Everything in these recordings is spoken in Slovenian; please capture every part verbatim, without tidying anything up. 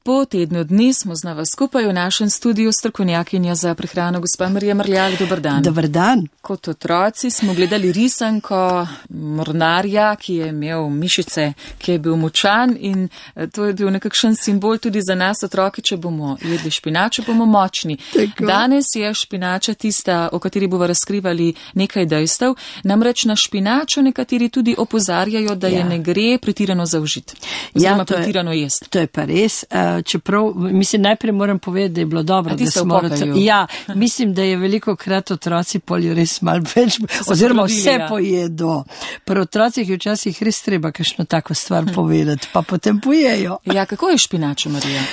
Po tednu dni smo znova skupaj v našem studiu strokovnjakinja za prehrano gospa Marija Mrljak. Dobar dan. Dobar dan. Kot otroci smo gledali risanko mornarja, ki je imel mišice, ki je bil močan in to je bil nekakšen simbol tudi za nas otroki, če bomo jedli špinačo, bomo močni. Tako. Danes je špinača tista, o kateri bomo razkrivali nekaj dejstev. Namreč na špinačo nekateri tudi opozarjajo, da ja. je ne gre pretirano zaužiti. Oziroma ja, pretirano jesti. To je pa res. Čeprav, mislim, najprej moram povedati, da je bilo dobro, da smo otroci. Ja, mislim, da je veliko krat otroci polju res malo več, oziroma probili, vse ja. pojedo. Pri otrocih je včasih res treba kakšno tako stvar povedati, pa potem pojejo. Ja, kako je špinača, Marija?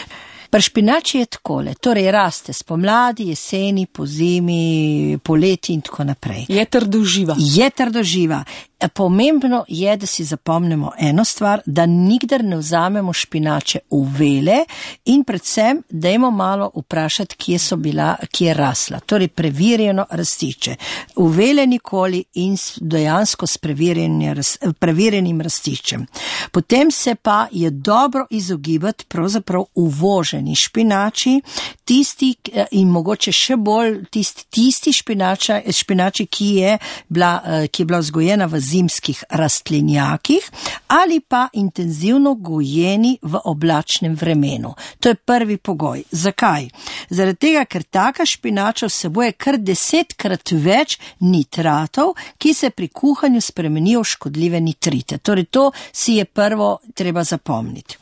Pri špinači je takole, torej raste spomladi, jeseni, pozimi, poleti in tako naprej. Je trdoživa. Je trdoživa. Pomembno je, da si zapomnimo eno stvar, da nikdar ne vzamemo špinače v vele in predvsem dajmo malo vprašati, kje so bila, kje je rasla. Torej preverjeno rastiče. V vele nikoli in dejansko s preverjenim rastičem. Potem se pa je dobro izogibati pravzaprav uvoženi špinači, tisti in mogoče še bolj tisti, tisti špinača, špinači, ki je bila, ki je bila vzgojena v zimskih rastlinjakih ali pa intenzivno gojeni v oblačnem vremenu. To je prvi pogoj. Zakaj? Zaradi tega, ker taka špinača vsebuje kar desetkrat več nitratov, ki se pri kuhanju spremenijo v škodljive nitrite. Torej to si je prvo treba zapomniti.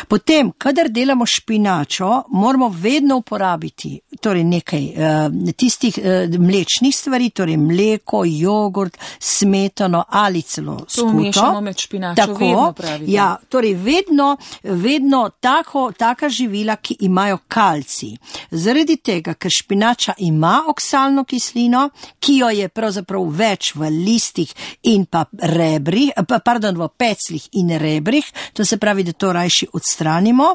Potem, kadar delamo špinačo, moramo vedno uporabiti torej nekaj uh, tistih uh, mlečnih stvari, torej mleko, jogurt, smetano ali celo skuto. To umešamo med špinačo, tako, vedno pravite. Ja, torej vedno, vedno tako, taka živila, ki imajo kalcij. Zaradi tega, ker špinača ima oksalno kislino, ki jo je pravzaprav več v listih in pa rebrih, pardon, v peclih in rebrih, to se pravi, da to rajši odstranimo.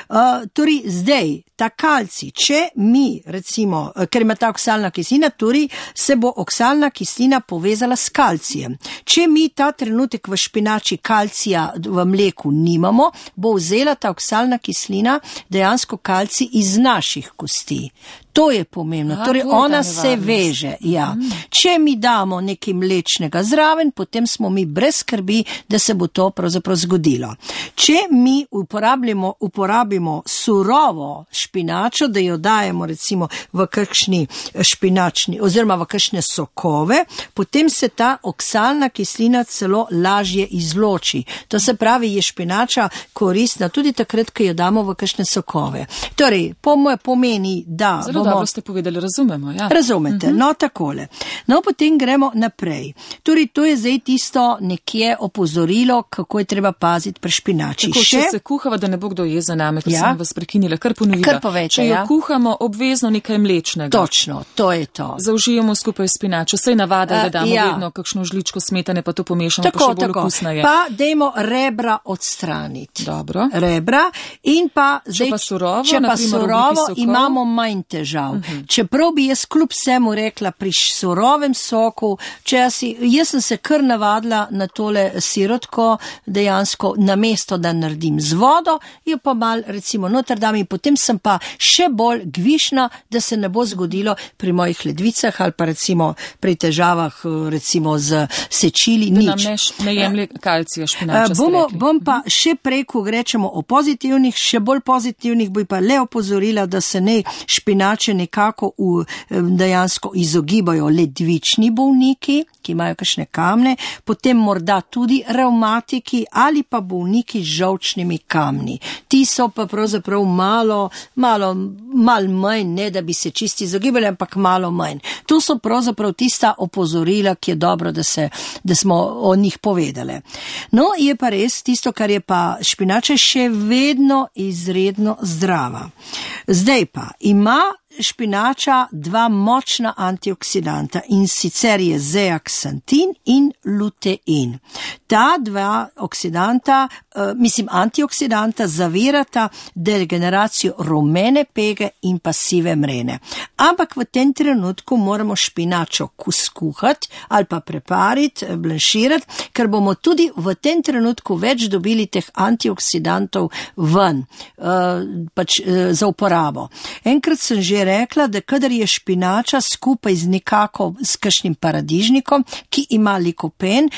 Uh, torej zdaj, ta kalcij, če mi recimo, ker ima ta oksalna kislina, torej se bo oksalna kislina povezala s kalcijem. Če mi ta trenutek v špinači kalcija v mleku nimamo, bo vzela ta oksalna kislina dejansko kalcij iz naših kosti. To je pomembno. A, torej, ona se veže. Ja. Mm. Če mi damo nekaj mlečnega zraven, potem smo mi brez skrbi, da se bo to pravzaprav zgodilo. Če mi uporabimo, uporabimo surovo špinačo, da jo dajemo recimo v kakšni špinačni oziroma v kakšne sokove, potem se ta oksalna kislina celo lažje izloči. To se pravi, je špinača koristna tudi takrat, ko jo damo v kakšne sokove. Torej, pomeni, da Zelo dobro ste povedali, razumemo. Ja. Razumete, uh-huh. No takole. No, potem gremo naprej. Torej, to je zdaj tisto nekje opozorilo, kako je treba paziti pri špinači. Tako, Še? Če se kuhava, da ne bo kdo je za name, ker ja. sem vas prekinila, kar ponovila. Kar povejte, Če jo ja. kuhamo, obvezno nekaj mlečnega. Točno, to je to. Zaužijemo skupaj špinačo. Sej navada, da damo ja. vedno kakšno žličko smetane, pa to pomešamo, tako, pa še bolj okusno je. Pa dejmo rebra odstraniti. Dobro. Rebra in pa zdaj, če pa surovo, če pa naprimer, surovo imamo manj težav. Uh-huh. Čeprav bi jaz kljub vsemu rekla pri surovem soku, če jaz, jaz sem se kar navadila na tole sirotko, dejansko namesto, da naredim z vodo, jo pa mal recimo noter dam in potem sem pa še bolj gvišna, da se ne bo zgodilo pri mojih ledvicah ali pa recimo pri težavah recimo z sečili, da nič. Da nam ne, ne jemlje kalcija špinača. Bomo, bom pa še prej, ko rečemo o pozitivnih, še bolj pozitivnih, bi pa le opozorila, da se ne špinače nekako v, dejansko izogibajo ledvični bolniki, ki imajo kakšne kamne, potem morda tudi revmatiki ali pa bolniki z žolčnimi kamni. Ti so pa pravzaprav malo, malo, malo manj, ne da bi se čisti izogibali, ampak malo manj. To so pravzaprav tista opozorila, ki je dobro, da, se, da smo o njih povedali. No, je pa res tisto, kar je pa špinača še vedno izredno zdrava. Zdaj pa ima špinača dva močna antioksidanta in sicer je zeaksantin in lutein. Ta dva oksidanta, uh, mislim antioksidanta, zavirata degeneracijo rumene pege in pa sive mrene. Ampak v tem trenutku moramo špinačo skuhati ali pa prepariti, blanširati, ker bomo tudi v tem trenutku več dobili teh antioksidantov ven, uh, pač uh, za uporabo. Enkrat sem že rekla, da kadar je špinača skupaj z nekako s kakšnim paradižnikom, ki ima likopen,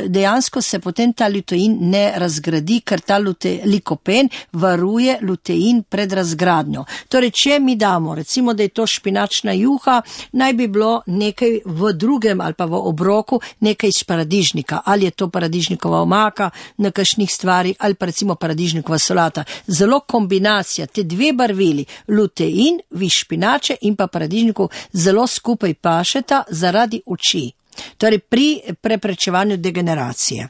dejansko se potem ta lutein ne razgradi, ker ta lute, likopen varuje lutein pred razgradnjo. Torej, če mi damo, recimo, da je to špinačna juha, naj bi bilo nekaj v drugem ali pa v obroku nekaj iz paradižnika, ali je to paradižnikova omaka na kakšnih stvari, ali pa recimo paradižnikova solata. Zelo kombinacija, te dve barvili, lutein, vi špinače in pa paradižniku zelo skupaj pašeta zaradi oči. Torej pri preprečevanju degeneracije.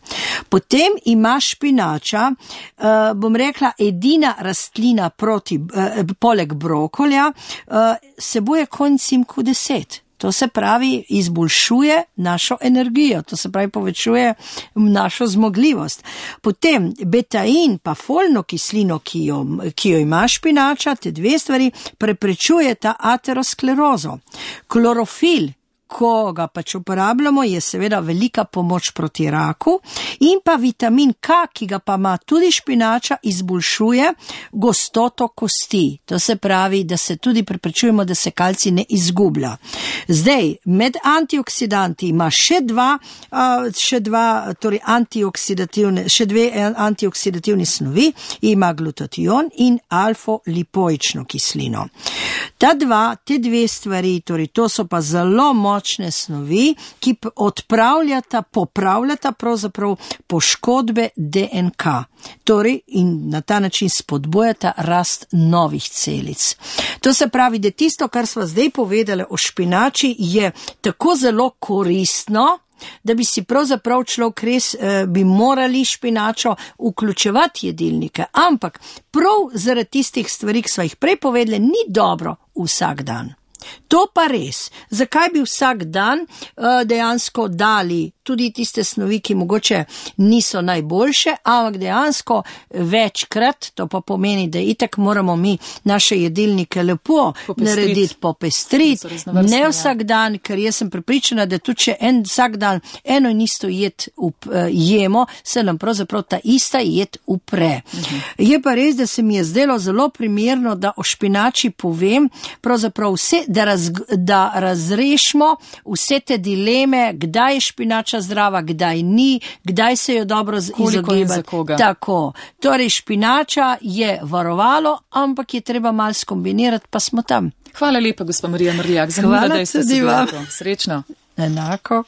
Potem ima špinača, uh, bom rekla, edina rastlina proti, uh, poleg brokolja, uh, sebuje koencim Q deset. To se pravi, izboljšuje našo energijo, to se pravi, povečuje našo zmogljivost. Potem betain pa folno kislino, ki jo, ki jo ima špinača, te dve stvari, preprečuje ta aterosklerozo. Klorofil, ko ga pač uporabljamo, je seveda velika pomoč proti raku, in pa vitamin K, ki ga pa ima tudi špinača, izboljšuje gostoto kosti. To se pravi, da se tudi preprečujemo, da se kalcij ne izgublja. Zdaj, med antioksidanti ima še dva, še dva, torej antioksidativne, še dve antioksidativni snovi, ima glutation in alfa-lipoično kislino. Ta dva, te dve stvari, torej to so pa zelo močne snovi, ki odpravljata, popravljata pravzaprav poškodbe D N K. Torej in na ta način spodbujata rast novih celic. To se pravi, da tisto, kar sva zdaj povedali o špinači, je tako zelo koristno, da bi si pravzaprav človek res, eh, bi morali špinačo vključevati jedilnike, ampak prav zaradi tistih stvari, ki sva jih prej povedali, ni dobro vsak dan. To pa res. Zakaj bi vsak dan uh, dejansko dali tudi tiste snovi, ki mogoče niso najboljše, ampak dejansko večkrat, to pa pomeni, da itak moramo mi naše jedilnike lepo popestrit. narediti, popestriti, ne vsak dan, ker jaz sem prepričana, da tudi če en, vsak dan eno in isto jed up, uh, jemo, se nam pravzaprav ta ista jed upre. Uh-huh. Je pa res, da se mi je zdelo zelo primerno, da o špinači povem, pravzaprav vse, da, raz, da razrešimo vse te dileme, kdaj je špinača zdrava, kdaj ni, kdaj se jo dobro izogibati. Tako. Torej, špinača je varovalo, ampak je treba malo skombinirati, pa smo tam. Hvala lepa, gospa Marija Mrljak. Zanimivo, da ste se Srečno. Enako.